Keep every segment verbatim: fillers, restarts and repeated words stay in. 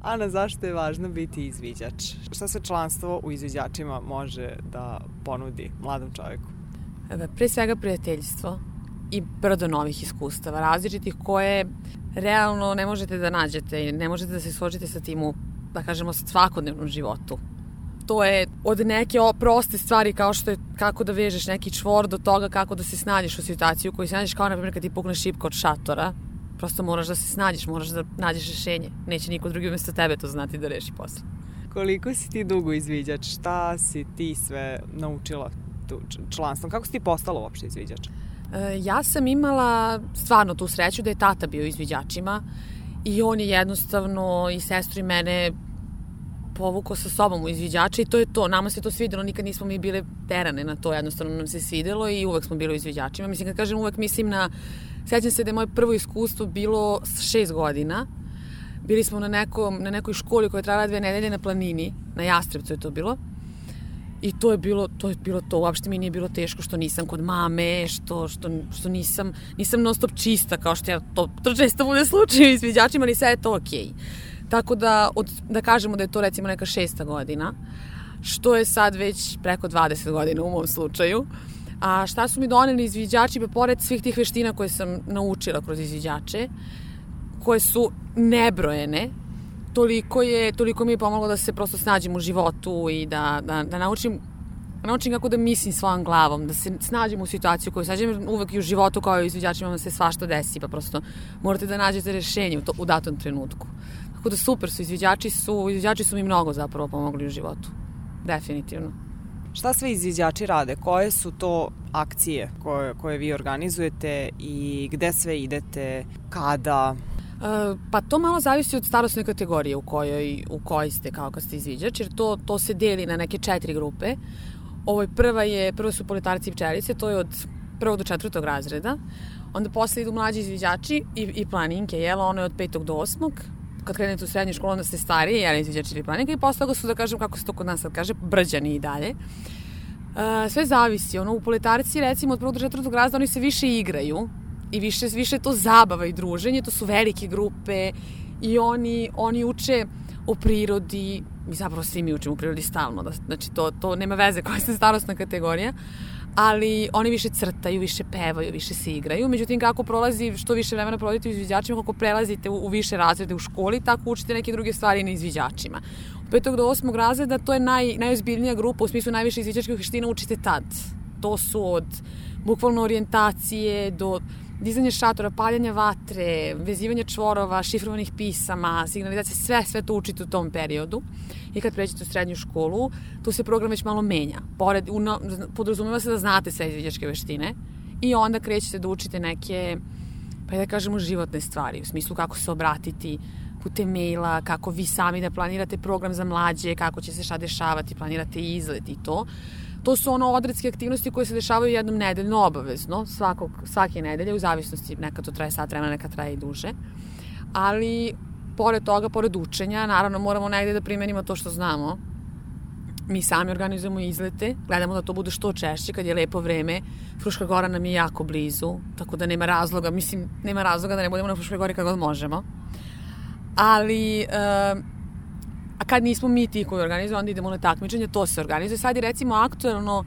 Ana, zašto je važno biti izviđač? Šta se članstvo u izviđačima može da ponudi mladom čovjeku? Pre svega prijateljstvo i brdo novih iskustava, različitih koje realno ne možete da nađete i ne možete da se suočite sa tim u, da kažemo, svakodnevnom životu. To je od neke proste stvari kao što je kako da vežeš neki čvor do toga kako da se snađeš u situaciju u kojoj se nađeš, kao na primjer kad ti pukne šipka od šatora. Prosto moraš da se snađeš, moraš da nađeš rešenje. Neće niko drugi umjesto tebe to znati da reši posle. Koliko si ti dugo izviđač? Šta si ti sve naučila tu članstvom? Kako si ti postala uopšte izviđač? E, ja sam imala stvarno tu sreću da je tata bio izviđačima i on je jednostavno i sestru i mene povukao sa sobom u izviđače i to je to. Nama se to svidelo, nikad nismo mi bile terane na to, jednostavno nam se svidelo i uvek smo bili u izviđačima. Mislim, kad kažem uvek, mislim na... Sjećam se da je moje prvo iskustvo bilo šest godina. Bili smo na, nekom, na nekoj školi koja je trajala dve nedelje na planini, na Jastrebcu je to bilo. I to je bilo to, je bilo to. Uopšte mi nije bilo teško što nisam kod mame, što, što, što nisam, nisam non stop čista, kao što ja to, to često bude slučaj u izviđačima, ali sve je to okej. Okay. Tako da, od, da kažemo da je to recimo neka šesta godina, što je sad već preko dvadeset godina u mom slučaju. A šta su mi doneli izviđači, pa pored svih tih veština koje sam naučila kroz izviđače, koje su nebrojene, toliko, je, toliko mi je pomoglo da se prosto snađem u životu i da, da, da naučim, naučim kako da mislim svojom glavom, da se snađem u situaciju koju sađem. Uvek i u životu kao i u izviđačima vam se svašta desi, pa prosto morate da nađete rešenje u, to, u datom trenutku. Tako da super su, izviđači su, izviđači su mi mnogo zapravo pomogli u životu. Definitivno. Šta sve izviđači rade? Koje su to akcije koje, koje vi organizujete i gde sve idete, kada? E, pa to malo zavisi od starosne kategorije u kojoj, u kojoj ste kao kad ste izviđač, jer to, to se deli na neke četiri grupe. Ovo prva je, prvo su politarci i pčelice, to je od prvog do četvrtog razreda. Onda posle idu mlađi izviđači i, i planinke, jela, ono je od petog do osmog. Kad krenete u srednju školu, onda ste stariji, jeli izviđači ili planinka, i posle toga su, da kažem, kako se to kod nas sad kaže, brđani i dalje. Uh, sve zavisi. Ono, u politarci, recimo, od prvog do četvrtog razreda, oni se više igraju i više, više to zabava i druženje, to su velike grupe i oni, oni uče o prirodi, mi zapravo svi mi učimo o prirodi stalno, da, znači to, to nema veze koja je starosna kategorija, ali oni više crtaju, više pevaju, više se igraju. Međutim, kako prolazi, što više vremena provodite u izviđačima, kako prelazite u, u više razrede u školi, tako učite neke druge stvari na izviđačima. Od petog do osmog razreda to je naj, najozbiljnija grupa, u smislu najviše izviđačkih veština učite tad. To su od bukvalno orijentacije do dizanja šatora, paljanja vatre, vezivanja čvorova, šifrovanih pisama, signalizacije, sve, sve to učite u tom periodu. I kad pređete u srednju školu, tu se program već malo menja. Pored, uno, podrazumeva se da znate sve izviđačke veštine i onda krećete da učite neke, pa da kažemo, životne stvari, u smislu kako se obratiti putem maila, kako vi sami da planirate program za mlađe, kako će se šta dešavati, planirate izlet i to. To su ono odredske aktivnosti koje se dešavaju jednom nedeljno obavezno, svakog, svake nedelje, u zavisnosti, nekad to traje sat vremena, nekad traje i duže. Ali, pored toga, pored učenja, naravno moramo negde da primenimo to što znamo. Mi sami organizujemo izlete, gledamo da to bude što češće, kad je lepo vreme. Fruška Gora nam je jako blizu, tako da nema razloga, mislim, nema razloga da ne budemo na Fruškoj Gori kad god možemo. Ali... Uh, A kad nismo mi ti koji organizujemo, onda idemo na takmičenje, to se organizuje. Sad je recimo aktuelno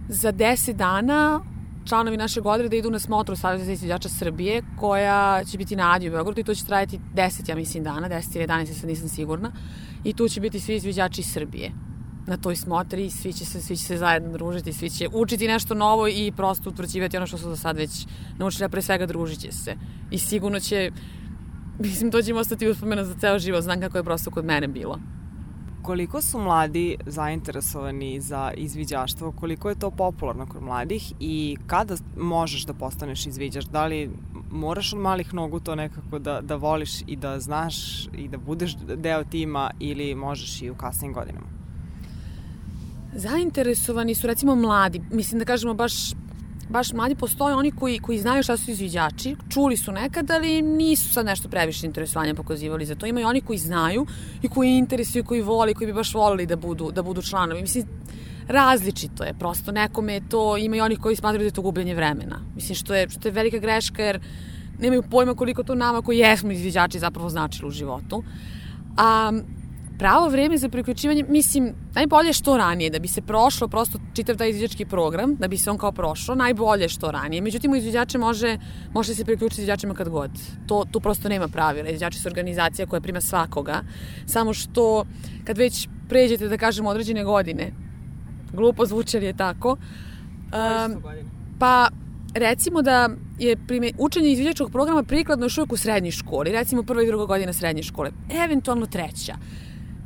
za deset dana članovi našeg odreda idu na smotru Saveza za izviđača Srbije, koja će biti na Adi u Beogradu i to će trajati deset, ja mislim, dana, deset ili jedanaest, sad nisam sigurna. I tu će biti svi izviđači Srbije na toj smotri i svi će se, svi će se zajedno družiti, svi će učiti nešto novo i prosto utvrđivati ono što su do sad već naučili, a pre svega družit će se. I sigurno će, mislim, to će im ostati uspomena za ceo život, znam kako je prosto kod mene bilo. Koliko su mladi zainteresovani za izviđaštvo, koliko je to popularno kod mladih i kada možeš da postaneš izviđač? Da li moraš od malih nogu to nekako da, da voliš i da znaš i da budeš deo tima ili možeš i u kasnim godinama? Zainteresovani su recimo mladi, mislim da kažemo baš baš mladi, postoje oni koji, koji znaju šta su izviđači, čuli su nekad, ali nisu sad nešto previše interesovanja pokazivali za to. Ima i oni koji znaju i koji interesuju, koji voli, koji bi baš volili da budu, da budu članovi. Mislim, različito je, prosto nekome je to, ima i oni koji smatraju da je to gubljenje vremena. Mislim, što je, što je velika greška, jer nemaju pojma koliko to nama koji jesmo izviđači zapravo značilo u životu. A pravo vreme za priključivanje, mislim, najbolje što ranije, da bi se prošlo prosto čitav taj izviđački program, da bi se on kao prošlo, najbolje što ranije. Međutim, u izviđače može, može se priključiti izviđačima kad god. To, tu prosto nema pravila. Izviđači su organizacija koja prima svakoga. Samo što kad već pređete, da kažemo, određene godine, glupo zvuči, ali je tako. Um, pa recimo da je prime, učenje izviđačkog programa prikladno još uvijek u srednjoj školi, recimo prva i druga godina srednje škole, eventualno treća.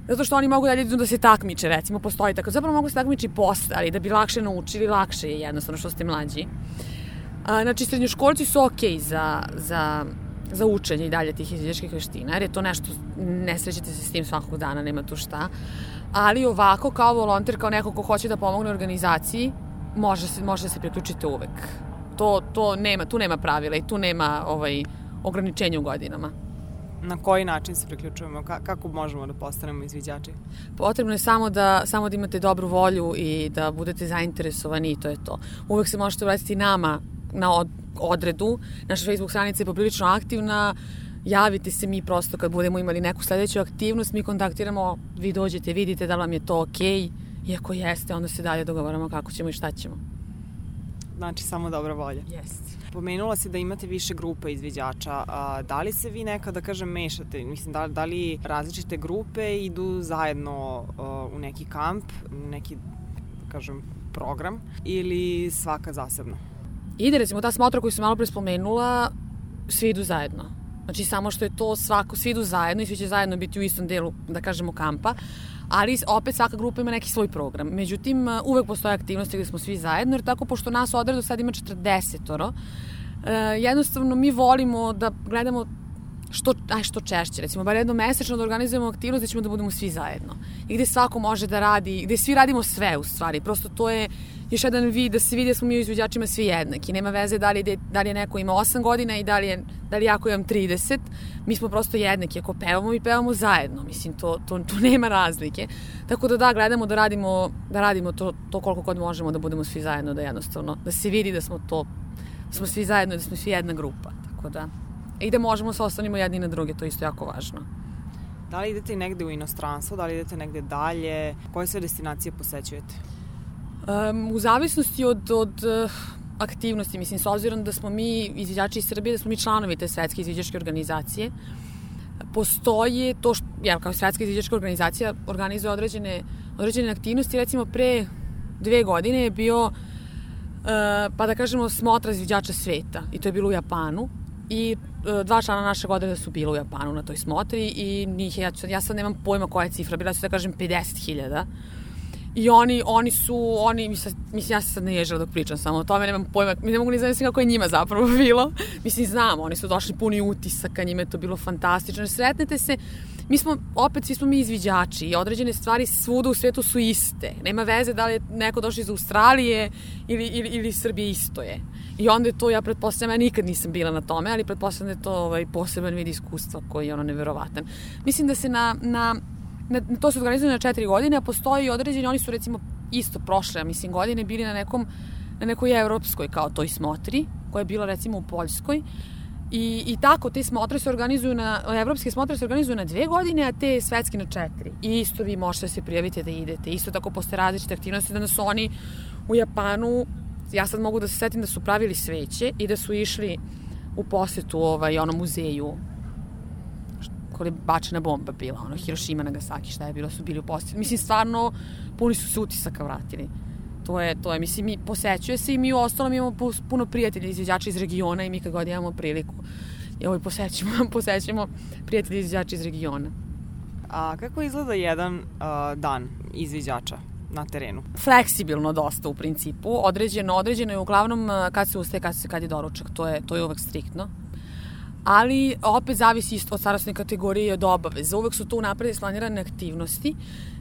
Zato što oni mogu dalje da se takmiče, recimo, postoji tako. Zapravo mogu se takmiči posle, ali da bi lakše naučili, lakše je jednostavno što ste mlađi. A, znači, srednjoškolci su okej za, za, za učenje i dalje tih izviđačkih veština, jer je to nešto, ne srećete se s tim svakog dana, nema tu šta. Ali ovako, kao volonter, kao neko ko hoće da pomogne organizaciji, može se, može se priključiti uvek. To, to nema, tu nema pravila i tu nema ovaj, ograničenja u godinama. Na koji način se priključujemo? Kako možemo da postanemo izviđači? Potrebno je samo da, samo da imate dobru volju i da budete zainteresovani i to je to. Uvek se možete obratiti nama na od, odredu. Naša Facebook stranica je poprilično aktivna. Javite se, mi prosto kad budemo imali neku sledeću aktivnost, mi kontaktiramo, vi dođete, vidite da vam je to okej. I ako jeste, onda se dalje dogovaramo kako ćemo i šta ćemo. Znači, samo dobra volja. Jeste. Pomenula si da imate više grupa izviđača. A, da li se vi nekada, da kažem, mešate? Mislim, da, da li različite grupe idu zajedno a, u neki kamp, neki, da kažem, program ili svaka zasebno? Ide, recimo, ta smotra koju sam malo pre spomenula, svi idu zajedno. Znači, samo što je to svako, svi idu zajedno i svi će zajedno biti u istom delu, da kažemo, kampa. Ali opet svaka grupa ima neki svoj program. Međutim, uvek postoje aktivnosti gde smo svi zajedno, jer tako, pošto nas odredu sad ima četrdesetoro, jednostavno mi volimo da gledamo što, aj, što češće, recimo, bar jedno mesečno da organizujemo aktivnost gde ćemo da budemo svi zajedno. I gde svako može da radi, gde svi radimo sve u stvari. Prosto to je još jedan vid da se vidi da smo mi u izvođačima svi jednaki. Nema veze da li, je, da li je neko ima osam godina i da li je, da li jako imam trideset. Mi smo prosto jednaki. Ako pevamo, mi pevamo zajedno. Mislim, to, to, to nema razlike. Tako da da, gledamo da radimo, da radimo to, to koliko god možemo da budemo svi zajedno, da jednostavno, da se vidi da smo to, da smo svi zajedno, da smo svi jedna grupa. Tako da, i da možemo se ostanimo jedni na druge, to je isto jako važno. Da li idete negde u inostranstvo, da li idete negde dalje, koje sve destinacije posećujete? Um, u zavisnosti od, od uh, aktivnosti, mislim, s obzirom da smo mi izviđači iz Srbije, da smo mi članovi te svetske izviđačke organizacije, postoje to što, jel, kao svetska izviđačka organizacija organizuje određene, određene aktivnosti, recimo pre dve godine je bio, uh, pa da kažemo, smotra izviđača sveta i to je bilo u Japanu. I e, dva člana našeg odreda su bila u Japanu na toj smotri i njih, ja, ja sad nemam pojma koja je cifra, bila su da kažem pedeset hiljada. I oni, oni su, oni, mislim, ja se sad ne ježila dok pričam samo o tome, nemam pojma, ne mogu ni zamisliti kako je njima zapravo bilo. Mislim, znam, oni su došli puni utisaka, njima je to bilo fantastično. Sretnete se, mi smo, opet, svi smo mi izviđači i određene stvari svuda u svetu su iste. Nema veze da li je neko došao iz Australije ili, ili, ili Srbije, isto je. I onda je to, ja pretpostavljam, ja nikad nisam bila na tome, ali pretpostavljam da je to ovaj, poseban vid iskustva koji je ono neverovatan. Mislim da se na, na, na to se organizuje na četiri godine, a postoji određeni, oni su recimo isto prošle, ja mislim, godine bili na nekom, na nekoj evropskoj kao toj smotri, koja je bila recimo u Poljskoj. I, i tako, te smotre se organizuju na, evropske smotre se organizuju na dve godine, a te svetske na četiri. I isto vi možete se prijaviti da idete. Isto tako postoje različite aktivnosti, da su oni u Japanu, ja sad mogu da se setim da su pravili sveće i da su išli u posetu ovaj, onom muzeju koja je bačena bomba bila, ono, Hirošima, Nagasaki, šta je bilo, su bili u posetu. Mislim, stvarno, puni su se utisaka vratili. To je, to je, mislim, mi posećuje se i mi u ostalom imamo puno prijatelja izviđača iz regiona i mi kad god imamo priliku i ovaj posećemo, posećemo prijatelji izviđača iz regiona. A kako izgleda jedan uh, dan izviđača na terenu? Fleksibilno dosta u principu, određeno, određeno je uglavnom kad se ustaje, kad, se, kad je doručak, to je, to je uvek striktno. Ali opet zavisi isto od starostne kategorije i od obaveza. Uvek su tu napred isplanirane aktivnosti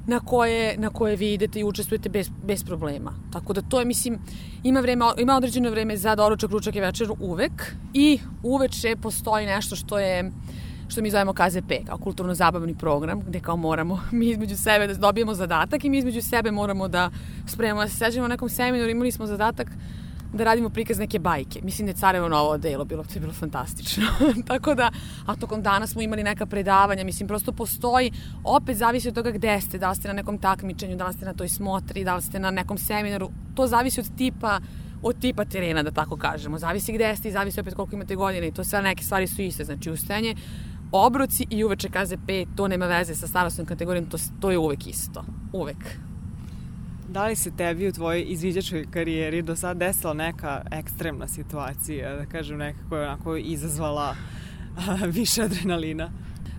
na koje, na koje vi idete i učestvujete bez, bez problema. Tako da to je, mislim, ima, vreme, ima određeno vreme za doručak, ručak i večer uvek i uveče postoji nešto što je što mi zovemo K Z P, kao kulturno-zabavni program, gde kao moramo mi između sebe da dobijemo zadatak i mi između sebe moramo da spremamo. Da se sećamo na nekom seminaru, imali smo zadatak da radimo prikaz neke bajke. Mislim da je Carevo novo delo bilo, to je bilo fantastično. Tako da, a tokom dana smo imali neka predavanja, mislim, prosto postoji, opet zavisi od toga gde ste, da li ste na nekom takmičenju, da li ste na toj smotri, da li ste na nekom seminaru, to zavisi od tipa, od tipa terena, da tako kažemo. Zavisi gde ste i zavisi opet koliko imate godine i to sve neke stvari su iste, znači ustajanje, obroci i uveče kaze pet, to nema veze sa starostnom kategorijom, to, to je uvek isto, uvek. Da li se tebi u tvojoj izviđačkoj karijeri do sad desila neka ekstremna situacija, da kažem neka koja je onako izazvala a, više adrenalina?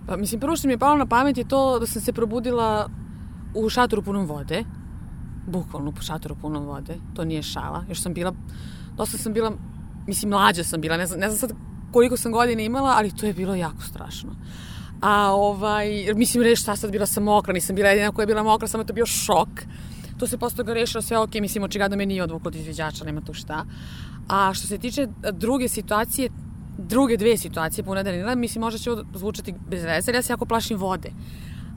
Pa, mislim, prvo što mi je palo na pamet je to da sam se probudila u šatoru punom vode, bukvalno u šatoru punom vode, to nije šala, još sam bila, dosta sam bila, mislim, mlađa sam bila, ne znam, ne znam sad koliko sam godina imala, ali to je bilo jako strašno. A ovaj, mislim, reći šta sad, bila sam mokra, nisam bila jedina koja je bila mokra, samo je to bio šok. To se posle toga rešilo sve ok, mislim, očigledno me nije odvuklo od izviđača, nema tu šta. A što se tiče druge situacije, druge dve situacije pune adrenalina, mislim, možda će ovo zvučati bez veze, jer ja se jako plašim vode.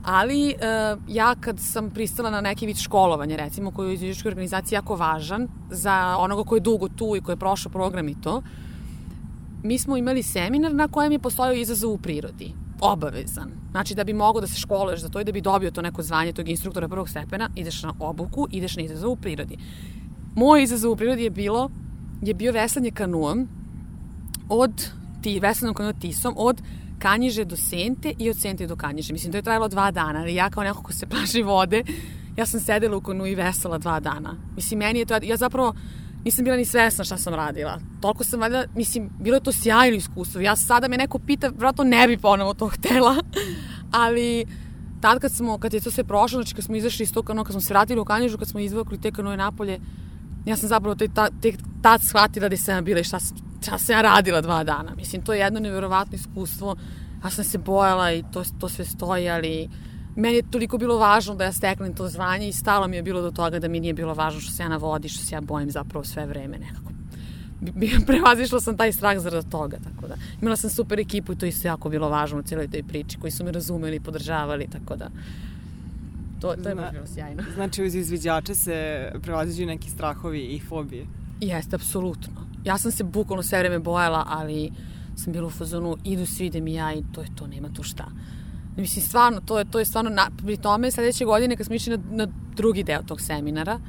Ali uh, ja kad sam pristala na neki vid školovanja, recimo, koji je u izviđačkoj organizaciji jako važan za onoga koji je dugo tu i koji je prošao program i to, mi smo imali seminar na kojem je postojao izazov u prirodi. Obavezan. Znači da bi mogao da se školuješ za to i da bi dobio to neko zvanje tog instruktora prvog stepena, ideš na obuku, ideš na izazov u prirodi. Moj izazov u prirodi je bilo, je bio veslanje kanuom od, ti, veslanom kanuom Tisom, od Kanjiže do Sente i od Sente do Kanjiže. Mislim, to je trajalo dva dana, ali ja kao neko ko se plaši vode, ja sam sedela u kanu i vesala dva dana. Mislim, meni je to, ja zapravo nisam bila ni svesna šta sam radila. Toliko sam valjda, mislim, bilo je to sjajno iskustvo. Ja sada me neko pita, vratno ne bi ponovo to htela, ali tad kad smo, kad je to sve prošlo, znači kad smo izašli iz tog kanoa, kad smo se vratili u Kanjižu, kad smo izvukli te kanoe napolje, ja sam zapravo tek tad shvatila da sam ja bila i šta, šta sam ja radila dva dana. Mislim, to je jedno nevjerovatno iskustvo. Ja sam se bojala i to, to sve stoji, ali meni je toliko bilo važno da ja steknem to zvanje i stalo mi je bilo do toga da mi nije bilo važno što se ja na vodi, što se ja bojim zapravo sve vreme nekako. Prevazišla sam taj strah zarad toga, tako da. Imala sam super ekipu i to isto jako bilo važno u cijeloj toj priči, koji su me razumeli i podržavali, tako da to, to je baš bilo sjajno. Znači, uz izviđače se prevaziđuju neki strahovi i fobije? Jeste, apsolutno. Ja sam se bukvalno sve vreme bojala, ali sam bila u fazonu, idu svi, idem i ja i to je to, nema tu šta. Mislim, stvarno, to je, to je stvarno, na, pri tome sledeće godine kad smo išli na, na drugi deo tog seminara,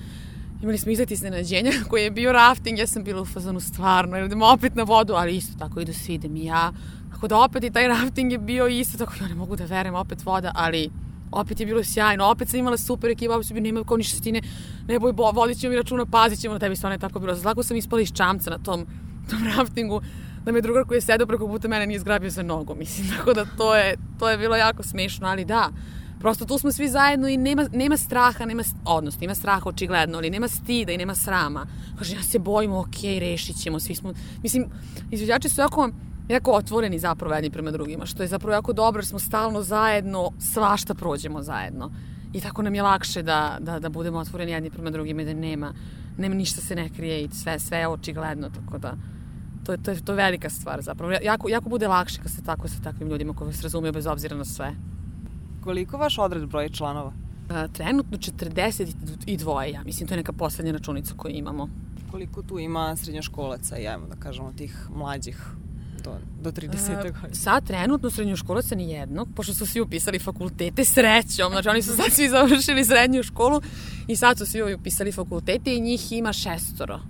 imali smo izlet iznenađenja koji je bio rafting, ja sam bila u fazonu stvarno, jer idemo opet na vodu, ali isto tako idu svi, idem i ja. Tako da opet i taj rafting je bio isto, tako ja ne mogu da verujem, opet voda, ali opet je bilo sjajno, opet sam imala super ekipa, opet sam bio, nema kao ništa stine, ne boj, vodit ćemo mi računa, pazit ćemo na tebi, stvarno je tako bilo. Zlako sam ispala iz čamca na tom, tom raftingu, da me drugar koji je sedao preko puta mene nije zgrabio za nogu, mislim, tako da to je, to je bilo jako smiješno, ali da, prosto tu smo svi zajedno i nema, nema straha, nema, odnosno, ima straha očigledno, ali nema stida i nema srama. Kaže, ja se bojim, okej, rešit ćemo, svi smo, mislim, izviđači su jako, jako otvoreni zapravo jedni prema drugima, što je zapravo jako dobro, jer smo stalno zajedno, svašta prođemo zajedno. I tako nam je lakše da, da, da budemo otvoreni jedni prema drugima i da nema, nema ništa se ne krije i sve, sve je očigledno, tako da To je, to, je, to je velika stvar zapravo. Jako, jako bude lakše kad ste tako sa takvim ljudima koji vas razumiju bez obzira na sve. Koliko vaš odred broji članova? A, trenutno četrdeset dva, ja mislim, to je neka poslednja računica koju imamo. Koliko tu ima srednjoškolaca i ajmo da kažemo tih mlađih do, do trideset godina? Sad trenutno srednjoškolaca ni jednog, pošto su svi upisali fakultete srećom, znači oni su sad svi završili srednju školu i sad su svi upisali fakultete i njih ima šestoro.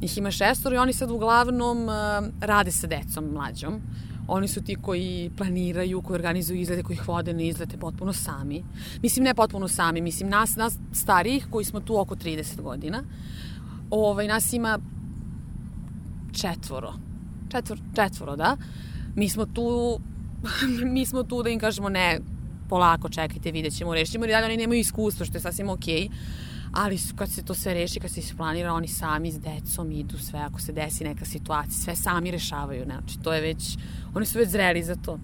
Njih ima šestoro i oni sad uglavnom uh, rade sa decom mlađom. Oni su ti koji planiraju, koji organizuju izlete, koji ih vode na izlete potpuno sami. Mislim, ne potpuno sami, mislim, nas, nas starijih koji smo tu oko trideset godina, ovaj, nas ima četvoro. Četvor, četvoro, da. Mi smo tu, mi smo tu da im kažemo ne, polako, čekajte, vidjet ćemo, rešit ćemo, jer dalje oni nemaju iskustvo, što je sasvim okej. Ali kad se to sve reši, kad se isplanira, oni sami s decom idu sve, ako se desi neka situacija, sve sami rešavaju, znači to je već, oni su već zreli za to.